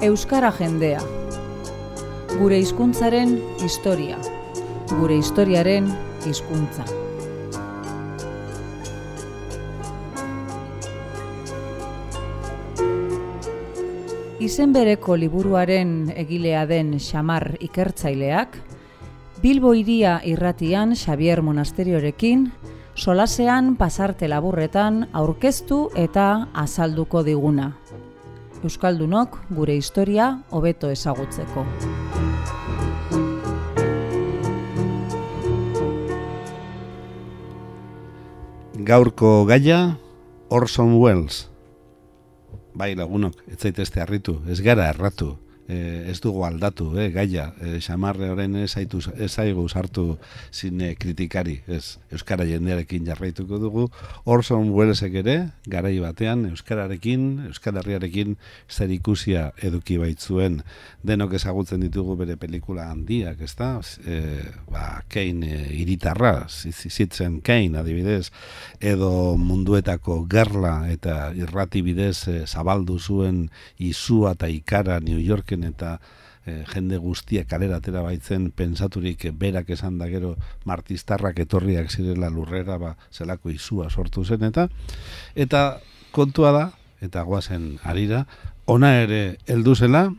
Euskara jendea. Gure hizkuntzaren historia. Gure historiaren hizkuntza. Izen bereko liburuaren egilea den Xamar ikertzaileak, Bilbo Hiria irratian Xabier Monasteriorekin, solasean pasarte laburretan aurkeztu eta azalduko diguna. Euskaldunok gure historia hobeto ezagutzeko. Gaurko gaia, Orson Welles. Bai lagunok, ez zaitezte harritu, ez gara erratu, ez dugu aldatu, gaia, Xamarre horren ez zaigu sartu zine kritikari, ez Euskara jendearekin jarraituko dugu. Orson Wellesek ere, garai batean, Euskararekin, Euskal Herriarekin zer ikusia eduki baitzuen, denok ezagutzen ditugu bere pelikula handiak, ezta? Kane hiritarra, Citizen Kane adibidez, edo munduetako gerla eta irrati bidez zabaldu zuen izua eta ikara New Yorken eta jende guztiak kalera atera baitzen pentsaturik berak esan da gero martistarrak etorriak zirela lurrera zelako izua sortu zen eta kontua da, eta goazen harira, ona ere heldu zela,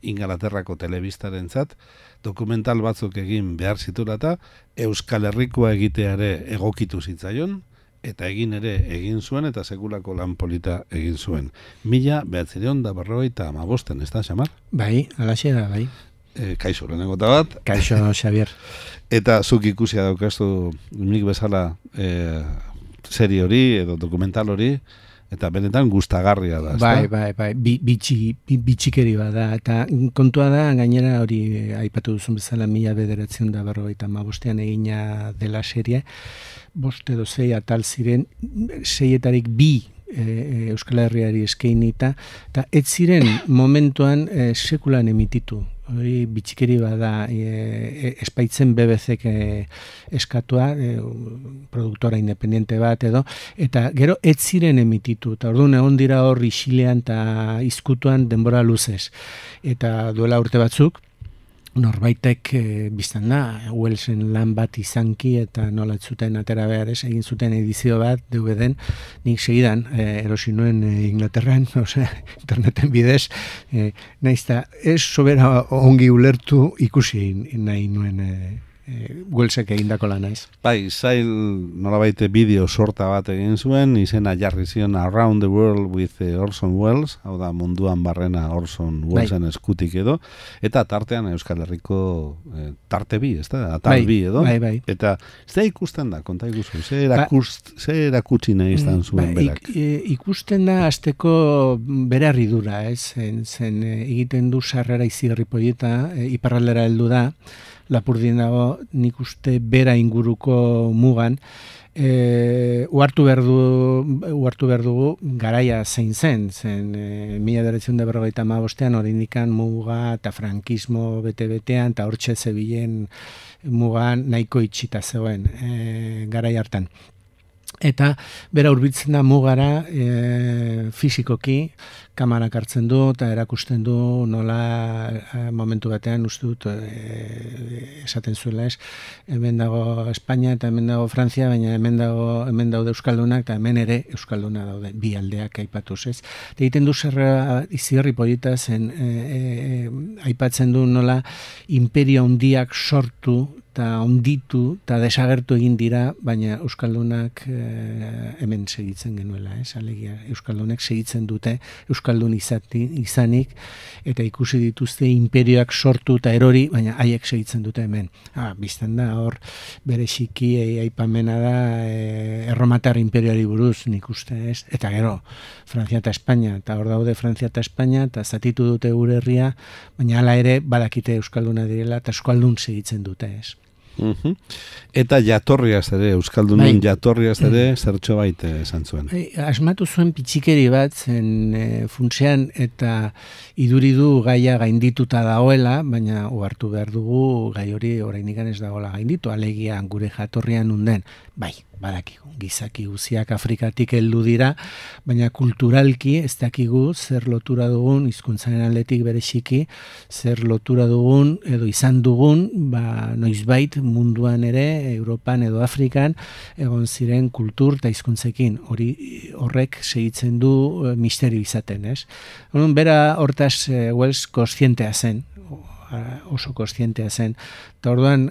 Ingalaterrako telebistarentzat dokumental batzuk egin behar zitulata, Euskal Herrikoa egiteare egokitu zitzaion, eta egin zuen, eta sekulako lan polita egin zuen. 1995, ez da, Xamar? Bai, alaxe da, bai. Kaixo, lehenengo bat. Kaixo, Xabier. Eta zuk ikusia daukazu nik bezala serie hori, edo dokumental hori, eta benetan gustagarria da, ez da? Bai, bitxikeri bada, eta kontua da, gainera hori aipatu duzun bezala 1995 egina dela serie, 5 edo 6 atal ziren, 6etarik 2 Euskal Herriari eskainita, eta ez ziren momentuan sekulan emititu. Hori bitxikeri bada, espaitzen BBC-ek eskatua, produktora independiente bat edo, eta gero ez ziren emititu, eta orduan egon dira hor isilean eta izkutuan denbora luzez. Eta duela urte batzuk, norbaitek biztan da, Wellesen lan bat izanki eta nola zuten atera behar ez, egin zuten edizio bat, DVD-en, nik segidan, erosi nuen Inglaterran, interneten bidez, naizta, ez sobera ongi ulertu ikusi nahi nuen Wellesek egindako lana ez. Bai, zail nolabait bideo sorta bat egin zuen, izena jarri zion Around the World with Orson Welles, hau da munduan barrena Orson Wellesen eskutik edo, eta tartean Euskal Herriko tarte bi, ez da? Atal bi edo. Bai. Eta ez da ikusten da, konta ikusten, ze erakutsi nahi izan zuen berak? Ikusten da azteko bere harridura, ez? Zen egiten du sarrera izigarri poieta, iparraldera heldu da, Lapurdien dago, nik uste bera inguruko mugan, uhartu behar dugu garaia zein zen 1945an hori indikan muga eta frankismo bete-betean, eta hortxe zebilen mugan nahiko itxita zegoen garai hartan. Eta bera hurbiltzen da mugara fisikoki, kamarak hartzen du eta erakusten du nola momentu batean uste dut esaten zuela ez. Hemen dago Espainia eta hemen dago Frantzia, baina hemen daude Euskaldunak eta hemen ere Euskalduna daude, bi aldeak aipatuz ez. Eta egiten du zerra izigarri polita zen aipatzen du nola imperio handiak sortu eta onditu eta desagertu egin dira, baina Euskaldunak hemen segitzen genuela, alegia Euskaldunek segitzen dute Euskaldun izanik, eta ikusi dituzte imperioak sortu eta erori, baina haiek segitzen dute hemen. Bizten da, hor bereziki aipamena da erromatar imperioari buruz, nik uste ez, eta gero Frantzia eta Espainia, eta hor daude Frantzia eta Espainia, eta zatitu dute gure herria, baina hala ere badakite Euskalduna direla, eta Euskaldun segitzen dute ez. Eta jatorriaz ere, Euskaldunen jatorriaz ere, zertxo baite esan zuen. Asmatu zuen pitxikeri bat, zen funtsean, eta iduridu gaia gaindituta dagoela, baina uhartu behar dugu gai hori oraindik ez dagoela gainditu, alegia gure jatorrian unden. Bai, badakigu, gizaki guziak Afrikatik heldu dira, baina kulturalki ez dakigu zer lotura dugun, hizkuntzaren aldetik bereziki, zer lotura dugun edo izan dugun, noizbait munduan ere, Europan edo Afrikan, egon ziren kultur eta hizkuntzekin. Horrek segitzen du misterio izaten, ez? Bera hortaz Wells kontzientea zen, oso kontzientea zen. Eta orduan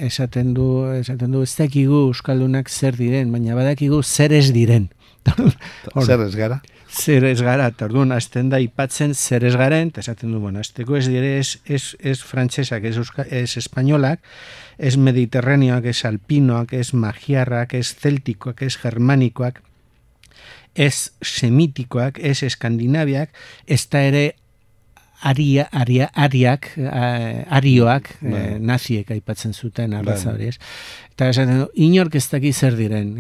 esaten du ez dakigu euskaldunak zer diren, baina badakigu zer ez diren. Zer ez gara? Zer ez gara, eta orduan azten da ipatzen zer ez garen, eta esaten du, azteko ez dire, ez frantsesak, ez espainolak, ez mediterraneoak, ez alpinoak, ez magiarrak, ez celtikoak, ez germanikoak, ez semitikoak, ez eskandinaviak, ez da ere arioak, naziek aipatzen zuten arraza hori, ez? Eta esaten du, inork ez daki zer diren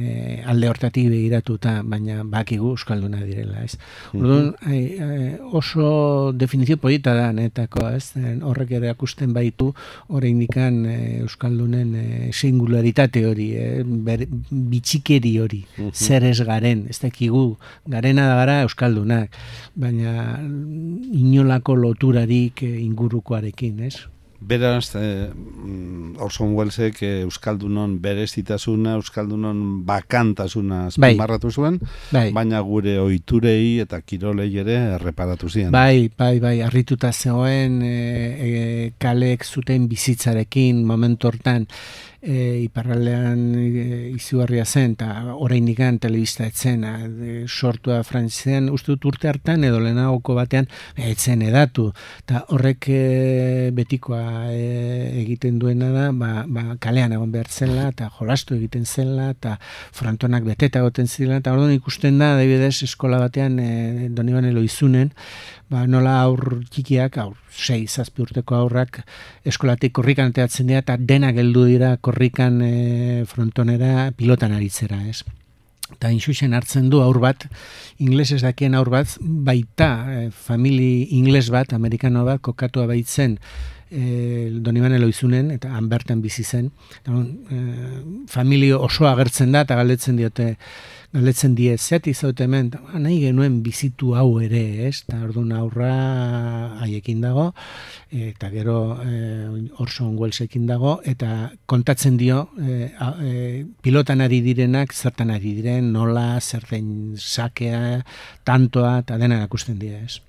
alde hortatik begiratuta, baina bakigu euskalduna direla, ez? Orduan, oso definizio polita da netako, ez? Horrek ere akusten baitu oraindikan euskaldunen singularitate hori, bitxikeri hori, zer ez garen, ez dakigu, garena da gara euskaldunak, baina inolako loturarik ingurukoarekin, ez? Beraz, Orson Wellesek euskaldunon berezitasuna, euskaldunon bakantasuna azpimarratu zuen, baina gure ohiturei eta kirolei ere erreparatu ziren. Bai, harrituta zegoen kaleek zuten bizitzarekin momentu hortan, iparraldean izugarria zen, eta oraindikan telebista etzen, sortua frantzian, uste dut urte hartan edo lehenagoko batean etzen edatu, eta horrek betikoa egiten duena da, kalean egon behar zela, eta jolastu egiten zela, eta frontonak beteta egoten zela, eta orduan ikusten da, adibidez, eskola batean Donibane Loizunen, nola aur txikiak, 6-7 urteko aurrak eskolatik korrikan ateatzen dira, eta denak heldu dira korrikan frontonera pilotan aritzera, ez? Eta inxuxen hartzen du aur bat, inglesez dakien aur bat, baita famili ingles bat, amerikano bat, kokatua baitzen Donibane Loizunen, eta han bertan bizi zen. Familio osoa agertzen da, eta galdetzen die, zeatik zaute hemen, nahi genuen bizitu hau ere, ez? Eta orduan aurra haiekin dago, eta gero Orson Wellesekin dago, eta kontatzen dio pilotan ari direnak, zertan ari diren, nola, zer den sakea, tantoa, eta dena erakusten dira, ez?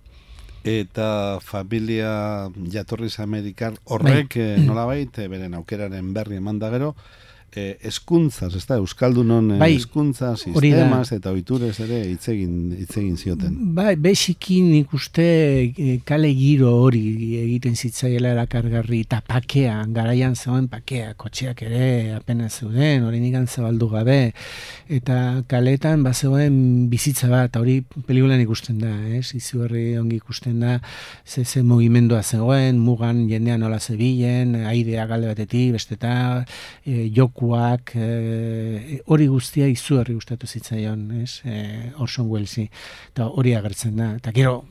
Eta familia jatorriz amerikar horrek nolabait, beren aukeraren berri eman da gero, eskuntzaz, ez da, Euskaldunon eskuntza, sistemaz eta ohiturez ere hitz egin zioten. Bai, besikin ikuste kale giro hori egiten zitzaiela erakargarri, eta pakea, garaian zegoen pakea, kotxeak ere apenas zeuden, oraindik zabaldu gabe, eta kaletan bazegoen bizitza bat, hori pelikulan ikusten da, izugarri ongi ikusten da, ze mugimendua zegoen, mugan jendean nola zebilen, aidea galde batetik, besteta, joku hori guztia izugarri gustatu zitzaion, Orson Wellesi, eta hori agertzen da. Eta gero,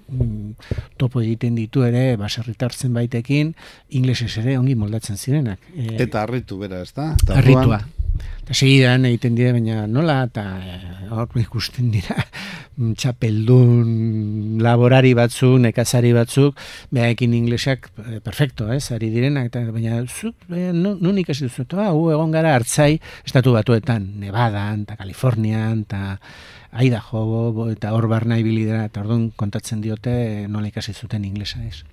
topo egiten ditu ere, baserritar zenbaitekin, inglesez ere ongi moldatzen zirenak. Eta harritu bera, ez da? Harritua. Eta segidan egiten dira, baina nola, eta hor ikusten dira, txapeldun laborari batzuk, nekazari batzuk, behaekin inglesak, perfecto, ari direnak, baina nun ikasi duzu, egon gara hartzai, estatu batuetan, Nevadan, eta Kalifornian, eta Idaho, eta hor barna ibili dira, eta orduan kontatzen diote nola ikasi zuten inglesa, ez.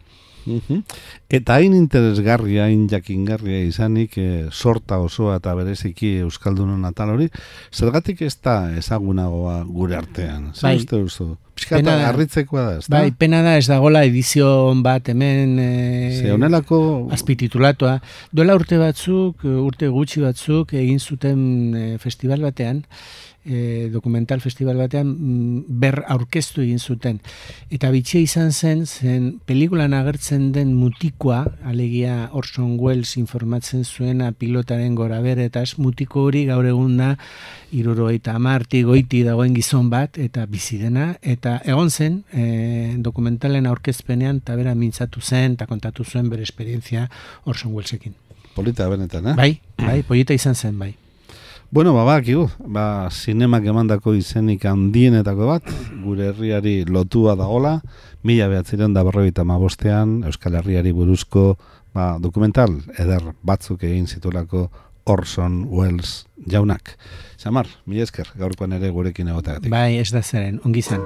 Eta hain interesgarria, hain jakingarria izanik, sorta osoa eta bereziki Euskaldunon atal hori, zergatik ez da ezagunagoa gure artean? Zer uste duzu? Piskata harritzekoa da, ez da? Bai, pena da ez dagola edizio bat hemen azpititulatua. Duela urte gutxi batzuk egin zuten festival batean, dokumental festival batean ber aurkeztu egin zuten. Eta bitxia izan zen pelikulan agertzen den mutikoa, alegia Orson Welles informatzen zuena pilotaren goraberetaz, mutiko hori gaur egun da 70 goiti dagoen gizon bat, eta bizi dena, eta egon zen dokumentalen aurkezpenean eta bera mintzatu zen eta kontatu zuen bere esperientzia Orson Wellesekin. Polita benetan, Bai, polita izan zen, bai. Bueno, bakigu, zinemak emandako izenik handienetako bat, gure herriari lotua dagola, 1955 Euskal Herriari buruzko dokumental eder batzuk egin zitulako Orson Welles jaunak. Xamar, mila esker, gaurkoan ere gurekin egoteagatik. Bai, ez da zeren, ongi zen.